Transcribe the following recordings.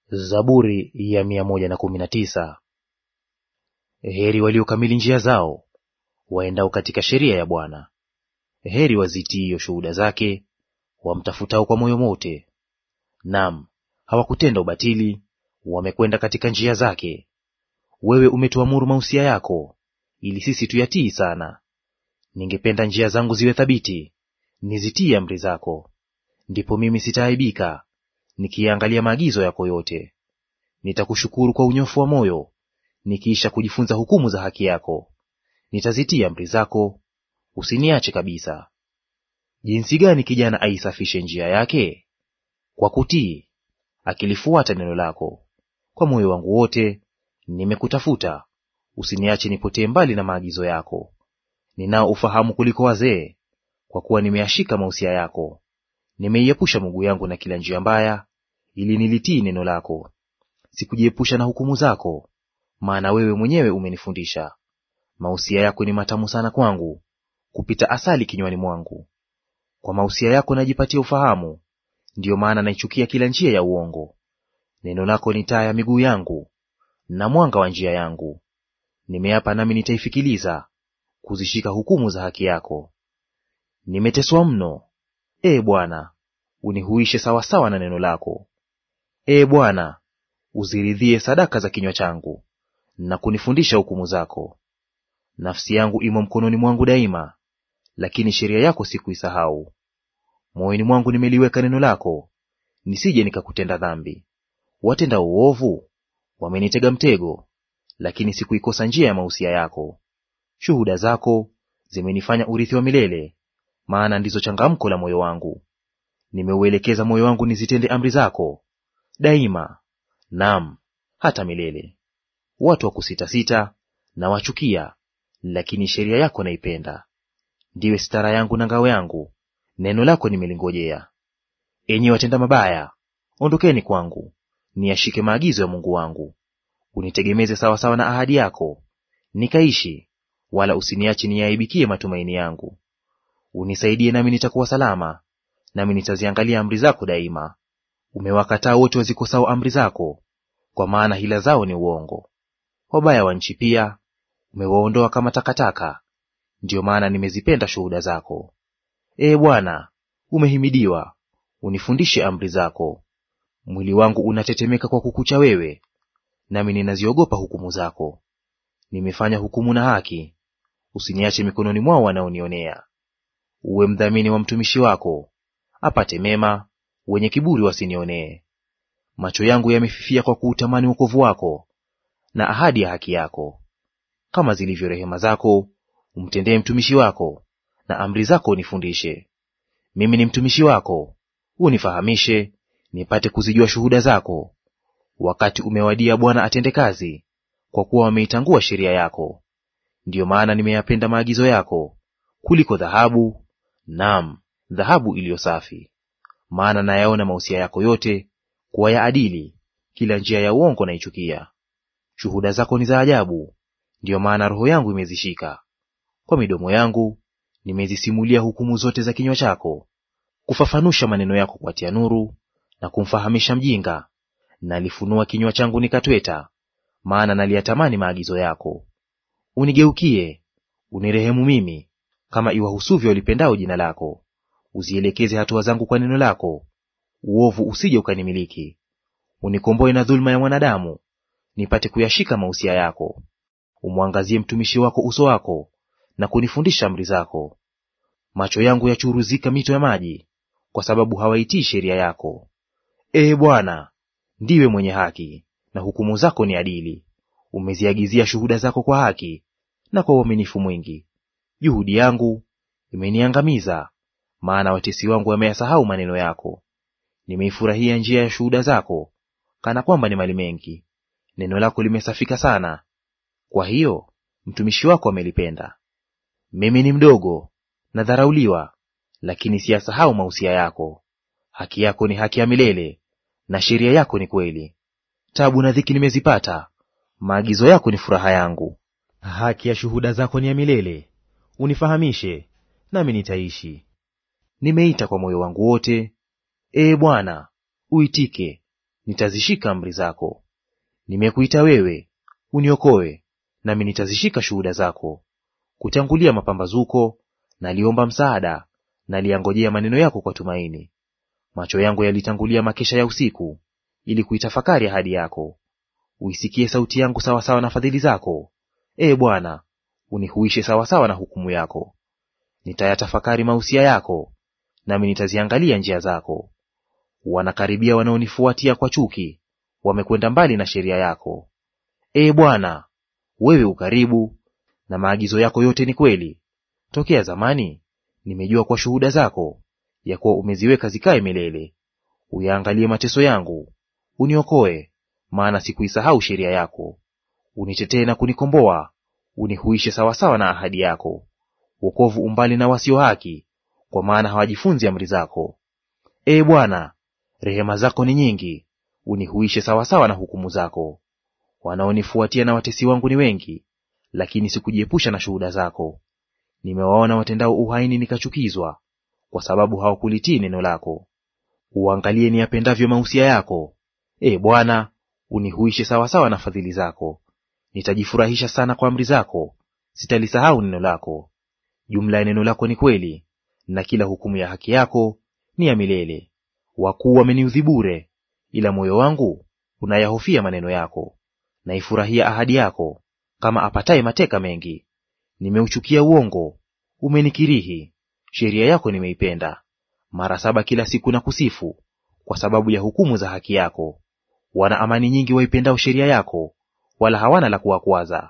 Zaburi ya 119. Heri waliokamili njia zao, waendao katika sheria ya Bwana. Heri wazitiio shuhuda zake, wamtafutao kwa moyo wote. Naam, hawakutenda ubatili, wamekwenda katika njia zake. Wewe umetuamuru mausia yako, ili sisi tuyatii sana. Ningependa njia zangu ziwe thabiti, nizitii amri zako. Ndipo mimi sitaaibika, nikiangalia maagizo yako yote. Nitakushukuru kwa unyofu wa moyo, nikiisha kujifunza hukumu za haki yako. Nitazitii amri zako, usiniache kabisa. Jinsi gani kijana aisafishe njia yake? Kwa kutii, akilifuata neno lako. Kwa moyo wangu wote nimekutafuta, usiniache nipotee mbali na maagizo yako. Ninao ufahamu kuliko wazee, kwa kuwa nimeyashika mausia yako. Nimeiepusha miguu yangu na kila njia mbaya, ili nilitii neno lako. Sikujiepusha na hukumu zako, maana wewe mwenyewe umenifundisha. Mausia yako ni matamu sana kwangu, kupita asali kinywani mwangu. Kwa mausia yako najipatia ufahamu, ndiyo maana naichukia kila njia ya uongo. Neno lako ni taa ya miguu yangu, na mwanga wa njia yangu. Nimeapa nami nitaifikiliza, kuzishika hukumu za haki yako. Nimeteswa mno, Ee Bwana, unihuishe sawasawa na neno lako. Ee Bwana, uziridhie sadaka za kinywa changu, na kunifundisha hukumu zako. Nafsi yangu imo mkononi mwangu daima, lakini sheria yako sikuisahau. Moyoni mwangu nimeliweka neno lako, nisije nikakutenda dhambi. Watenda uovu wamenitega mtego, lakini sikuikosa njia ya mausia yako. Shuhuda zako zimenifanya urithi wa milele, maana ndizo changamko la moyo wangu. Nimeuelekeza moyo wangu nizitende amri zako daima, naam, hata milele. Watu wa kusitasita na wachukia, lakini sheria yako naipenda. Ndiwe sitara yangu na ngao yangu, neno lako nimelingojea. Enyi watenda mabaya, ondokeni kwangu, niyashike maagizo ya Mungu wangu. Unitegemeze sawasawa na ahadi yako, nikaishi, wala usiniache niaibikie matumaini yangu. Unisaidie nami nitakuwa salama, nami nitaziangalia amri zako daima. Umewakataa wote wazikosao amri zako, kwa maana hila zao ni uongo. Wabaya wa nchi pia umewaondoa kama takataka, ndiyo maana nimezipenda shuhuda zako. Ee Bwana, umehimidiwa, unifundishe amri zako. Mwili wangu unatetemeka kwa kukucha wewe, nami ninaziogopa hukumu zako. Nimefanya hukumu na haki, usiniache mikononi mwao wanaonionea. Uwe mdhamini wa mtumishi wako, apate mema, wenye kiburi wasinionee. Macho yangu yamefifia kwa kuutamani wokovu wako, na ahadi ya haki yako. Kama zilivyo rehema zako, umtendee mtumishi wako, na amri zako unifundishe. Mimi ni mtumishi wako, unifahamishe, nipate kuzijua shuhuda zako. Wakati umewadia, Bwana atende kazi, kwa kuwa wameitangua sheria yako. Ndiyo maana nimeyapenda maagizo yako kuliko dhahabu, naam, dhahabu iliyo safi. Maana nayaona mausia yako yote kuwa ya adili, kila njia ya uongo naichukia. Shuhuda zako ni za ajabu, ndiyo maana roho yangu imezishika. Kwa midomo yangu nimezisimulia hukumu zote za kinywa chako, kufafanusha maneno yako kuatia nuru, na kumfahamisha mjinga. Nalifunua kinywa changu nikatweta, maana naliyatamani maagizo yako. Unigeukie, unirehemu mimi, kama iwahusuvyo walipendao jina lako. Uzielekeze hatua zangu kwa neno lako, uovu usije ukanimiliki. Unikomboe na dhuluma ya mwanadamu, nipate kuyashika mausia yako. Umwangazie mtumishi wako uso wako, na kunifundisha amri zako. Macho yangu yachuruzika mito ya maji, kwa sababu hawaitii sheria yako. Ee Bwana, ndiwe mwenye haki, na hukumu zako ni adili. Umeziagizia shuhuda zako kwa haki na kwa uaminifu mwingi. Juhudi yangu imeniangamiza, maana watesi wangu wameyasahau maneno yako. Nimeifurahia njia ya shuhuda zako, kana kwamba ni mali mengi. Neno lako limesafika sana, kwa hiyo mtumishi wako amelipenda. Mimi ni mdogo nadharauliwa, lakini siyasahau mausia yako. Haki yako ni haki ya milele, na sheria yako ni kweli. Tabu na dhiki nimezipata, maagizo yako ni furaha yangu. Haki ya shuhuda zako ni ya milele, unifahamishe nami nitaishi. Nimeita kwa moyo wangu wote, Ee Bwana, uitike, nitazishika amri zako. Nimekuita wewe, uniokoe, nami nitazishika shuhuda zako. Kutangulia mapambazuko naliomba msaada, naliangojea maneno yako kwa tumaini. Macho yangu yalitangulia makesha ya usiku, ili kuitafakari ahadi yako. Uisikie sauti yangu sawasawa na fadhili zako, Ee Bwana, unihuishe sawasawa na hukumu yako. Nitayatafakari mausia yako, nami nitaziangalia njia zako. Wanakaribia wanaonifuatia kwa chuki, wamekwenda mbali na sheria yako. Ee Bwana, wewe ukaribu, na maagizo yako yote ni kweli. Tokea zamani nimejua kwa shuhuda zako, ya kuwa umeziweka zikae milele. Uyaangalie mateso yangu, uniokoe, maana sikuisahau sheria yako. Unitetee na kunikomboa, unihuishe sawasawa na ahadi yako. Wokovu umbali na wasio haki, kwa maana hawajifunzi amri zako. Ee Bwana, rehema zako ni nyingi, unihuishe sawasawa na hukumu zako. Wanaonifuatia na watesi wangu ni wengi, lakini sikujiepusha na shuhuda zako. Nimewaona watendao uhaini nikachukizwa, kwa sababu hawakulitii neno lako. Uangalie niyapendavyo mausia yako, Ee Bwana, unihuishe sawasawa na fadhili zako. Nitajifurahisha sana kwa amri zako, sitalisahau neno lako. Jumla ya neno lako ni kweli, na kila hukumu ya haki yako ni ya milele. Wakuu wameniudhi bure, ila moyo wangu unayahofia maneno yako. Naifurahia ahadi yako, kama apataye mateka mengi. Nimeuchukia uongo, umenikirihi; sheria yako nimeipenda. Mara saba kila siku nakusifu, kwa sababu ya hukumu za haki yako. Wana amani nyingi waipendao sheria yako, wala hawana la kuwakwaza.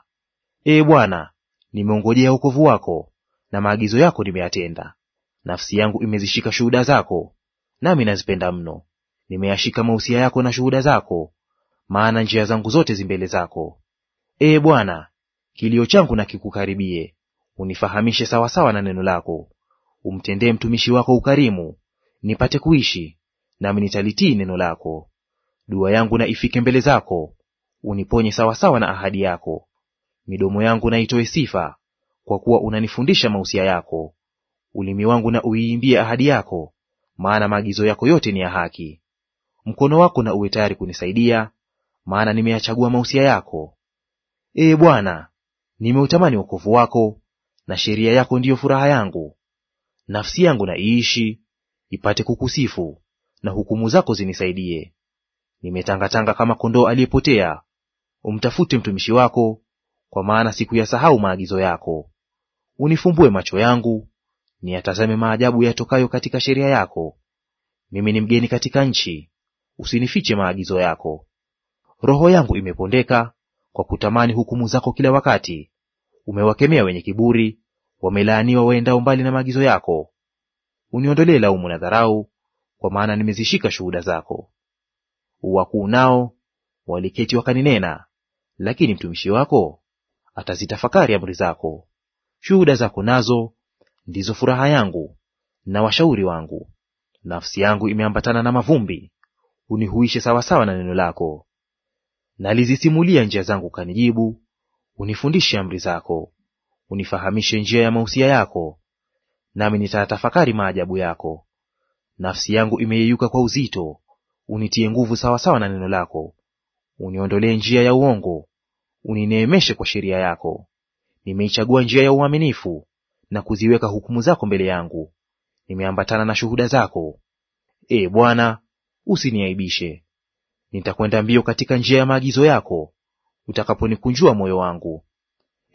Ee Bwana, nimeongojea wokovu wako, na maagizo yako nimeyatenda. Nafsi yangu imezishika shuhuda zako, nami nazipenda mno. Nimeyashika mausia yako na shuhuda zako, maana njia zangu zote zi mbele zako. Ee Bwana, kilio changu na kikukaribie, unifahamishe sawasawa na neno lako. Umtendee mtumishi wako ukarimu, nipate kuishi, nami nitalitii neno lako. Dua yangu na ifike mbele zako, uniponye sawasawa na ahadi yako. Midomo yangu na itoe sifa, kwa kuwa unanifundisha mausia yako. Ulimi wangu na uiimbie ahadi yako, maana maagizo yako yote ni ya haki. Mkono wako na uwe tayari kunisaidia, maana nimeyachagua mausia yako. Ee Bwana, nimeutamani wokovu wako, na sheria yako ndiyo furaha yangu. Nafsi yangu na iishi, ipate kukusifu, na hukumu zako zinisaidie. Nimetangatanga kama kondoo aliyepotea, umtafute mtumishi wako, kwa maana sikuyasahau maagizo yako. Unifumbue macho yangu, niyatazame maajabu yatokayo katika sheria yako. Mimi ni mgeni katika nchi, usinifiche maagizo yako. Roho yangu imepondeka kwa kutamani hukumu zako kila wakati. Umewakemea wenye kiburi, wamelaaniwa waendao mbali na maagizo yako. Uniondolee laumu na dharau, kwa maana nimezishika shuhuda zako. Wakuu nao waliketi wakaninena, lakini mtumishi wako atazitafakari amri zako. Shuhuda zako nazo ndizo furaha yangu na washauri wangu. Nafsi yangu imeambatana na mavumbi, unihuishe sawasawa na neno lako. Nalizisimulia njia zangu, kanijibu; unifundishe amri zako. Unifahamishe njia ya mausia yako, nami nitatafakari maajabu yako. Nafsi yangu imeyeyuka kwa uzito, unitie nguvu sawasawa na neno lako. Uniondolee njia ya uongo, unineemeshe kwa sheria yako. Nimeichagua njia ya uaminifu, na kuziweka hukumu zako mbele yangu. Nimeambatana na shuhuda zako. Ee Bwana, usiniaibishe. Nitakwenda mbio katika njia ya maagizo yako, utakaponikunjua moyo wangu.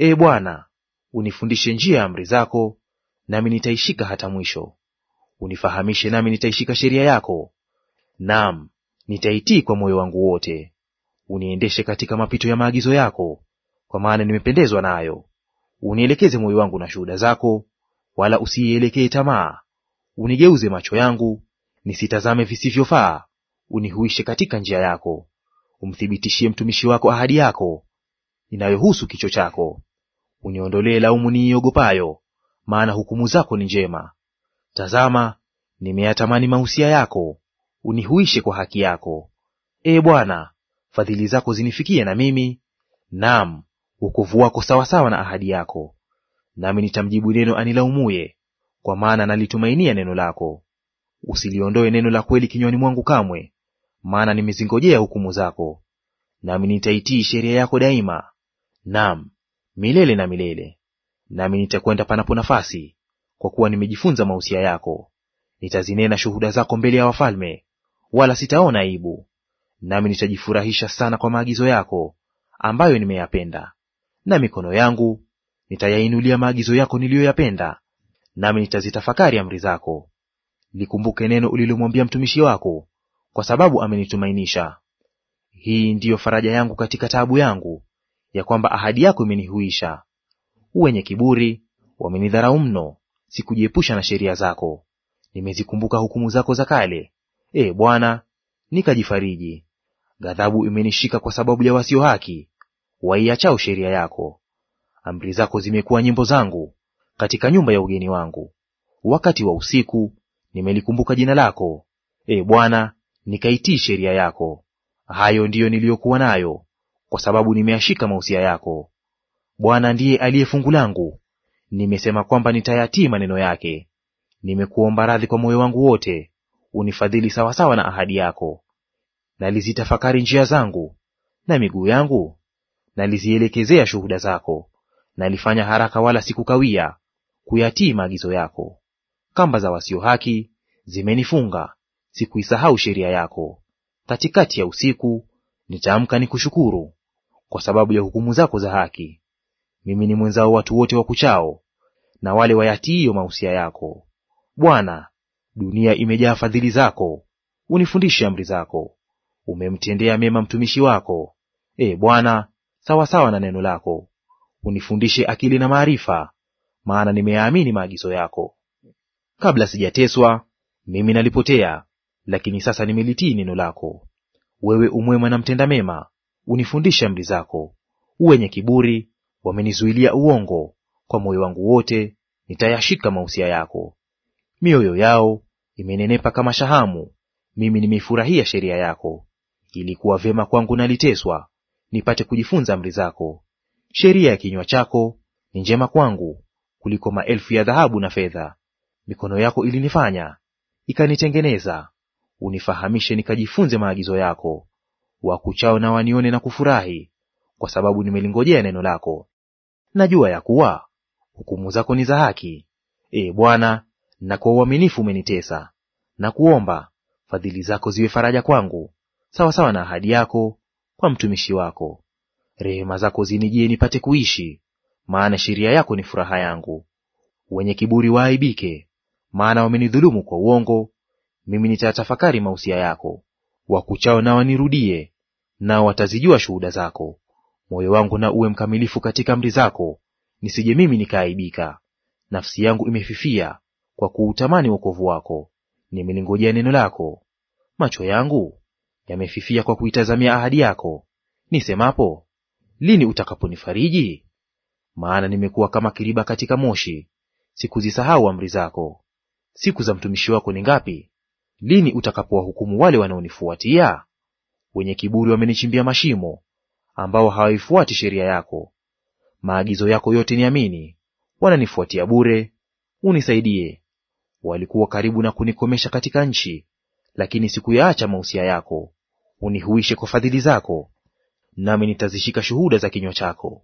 Ee Bwana, unifundishe njia ya amri zako, nami nitaishika hata mwisho. Unifahamishe, nami nitaishika sheria yako, naam, nitaitii kwa moyo wangu wote. Uniendeshe katika mapito ya maagizo yako, kwa maana nimependezwa nayo. Unielekeze moyo wangu na shuhuda zako, wala usiielekee tamaa. Unigeuze macho yangu nisitazame visivyofaa, unihuishe katika njia yako. Umthibitishie mtumishi wako ahadi yako inayohusu kicho chako. Uniondolee laumu niiogopayo, maana hukumu zako ni njema. Tazama, nimeyatamani mausia yako, unihuishe kwa haki yako. Ee Bwana, fadhili zako zinifikie na mimi, naam, wokovu wako sawasawa na ahadi yako. Nami nitamjibu neno anilaumuye, kwa maana nalitumainia neno lako. Usiliondoe neno la kweli kinywani mwangu kamwe, maana nimezingojea hukumu zako. Nami nitaitii sheria yako daima, naam, milele na milele. Nami nitakwenda panapo nafasi, kwa kuwa nimejifunza mausia yako. Nitazinena shuhuda zako mbele ya wafalme, wala sitaona aibu. Nami nitajifurahisha sana kwa maagizo yako ambayo nimeyapenda. Na mikono yangu nitayainulia maagizo yako niliyoyapenda, nami nitazitafakari amri zako. Likumbuke neno ulilomwambia mtumishi wako, kwa sababu amenitumainisha. Hii ndiyo faraja yangu katika taabu yangu, ya kwamba ahadi yako imenihuisha. Wenye kiburi wamenidharau mno, sikujiepusha na sheria zako. Nimezikumbuka hukumu zako za kale, e Bwana, nikajifariji. Ghadhabu imenishika kwa sababu ya wasio haki, waiachao sheria yako. Amri zako zimekuwa nyimbo zangu katika nyumba ya ugeni wangu. Wakati wa usiku nimelikumbuka jina lako, e Bwana, nikaitii sheria yako. Hayo ndiyo niliyokuwa nayo, kwa sababu nimeyashika mausia yako. Bwana ndiye aliye fungu langu, nimesema kwamba nitayatii maneno yake. Nimekuomba radhi kwa moyo wangu wote, unifadhili sawasawa na ahadi yako. Nalizitafakari njia zangu, na miguu yangu nalizielekezea shuhuda zako. Nalifanya haraka wala sikukawia kuyatii maagizo yako. Kamba za wasio haki zimenifunga, sikuisahau sheria yako. Katikati ya usiku nitaamka nikushukuru kwa sababu ya hukumu zako za haki. Mimi ni mwenzao watu wote wakuchao, na wale wayatiio mausia yako. Bwana, dunia imejaa fadhili zako, unifundishe amri zako. Umemtendea mema mtumishi wako, e Bwana, sawasawa na neno lako. Unifundishe akili na maarifa, maana nimeyaamini maagizo yako. Kabla sijateswa mimi nalipotea, lakini sasa nimelitii neno lako. Wewe umwema na mtenda mema, unifundishe amri zako. Wenye kiburi wamenizuilia uongo, kwa moyo wangu wote nitayashika mausia yako. Mioyo yao imenenepa kama shahamu, mimi nimeifurahia sheria yako. Ilikuwa vyema kwangu naliteswa, nipate kujifunza amri zako. Sheria ya kinywa chako ni njema kwangu kuliko maelfu ya dhahabu na fedha. Mikono yako ilinifanya, ikanitengeneza. Unifahamishe nikajifunze maagizo yako. Wakuchao na wanione na kufurahi, kwa sababu nimelingojea neno lako. Najua ya kuwa hukumu zako ni za haki, e Bwana, na kwa uaminifu umenitesa. Na kuomba fadhili zako ziwe faraja kwangu, sawasawa na ahadi yako kwa mtumishi wako. Rehema zako zinijie nipate kuishi, maana sheria yako ni furaha yangu. Wenye kiburi waaibike, maana wamenidhulumu kwa uongo. Mimi nitatafakari mausia yako. Wakuchao na wanirudie, nao watazijua shuhuda zako. Moyo wangu na uwe mkamilifu katika amri zako, nisije mimi nikaaibika. Nafsi yangu imefifia kwa kuutamani wokovu wako, nimelingojea neno lako. Macho yangu yamefifia kwa kuitazamia ahadi yako, nisemapo, lini utakaponifariji? Maana nimekuwa kama kiriba katika moshi, sikuzisahau amri zako. Siku za mtumishi wako ni ngapi? Lini utakapowahukumu wale wanaonifuatia? Wenye kiburi wamenichimbia mashimo, ambao hawaifuati sheria yako. Maagizo yako yote niamini, wananifuatia bure, unisaidie. Walikuwa karibu na kunikomesha katika nchi, lakini sikuyaacha mausia yako. Unihuishe kwa fadhili zako, nami nitazishika shuhuda za kinywa chako.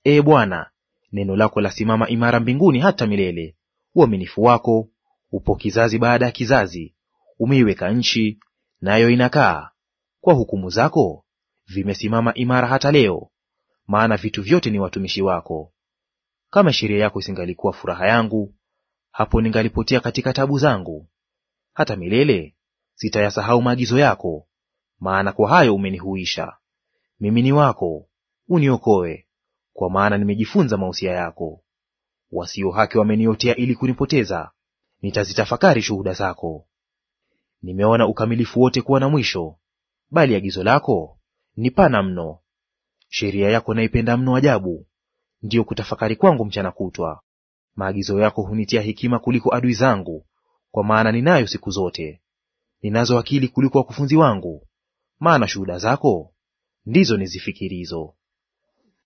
Ee Bwana, neno lako lasimama imara mbinguni hata milele. Uaminifu wako upo kizazi baada ya kizazi. Umeiweka nchi, nayo inakaa. Kwa hukumu zako vimesimama imara hata leo, maana vitu vyote ni watumishi wako. Kama sheria yako isingalikuwa furaha yangu, hapo ningalipotea katika tabu zangu. Hata milele sitayasahau maagizo yako, maana kwa hayo umenihuisha. Mimi ni wako, uniokoe, kwa maana nimejifunza mausia yako. Wasio haki wameniotea ili kunipoteza, nitazitafakari shuhuda zako. Nimeona ukamilifu wote kuwa na mwisho, bali agizo lako ni pana mno. Sheria yako naipenda mno ajabu, ndiyo kutafakari kwangu mchana kutwa. Maagizo yako hunitia hekima kuliko adui zangu, kwa maana ninayo siku zote. Ninazo akili kuliko wakufunzi wangu, maana shuhuda zako ndizo nizifikirizo.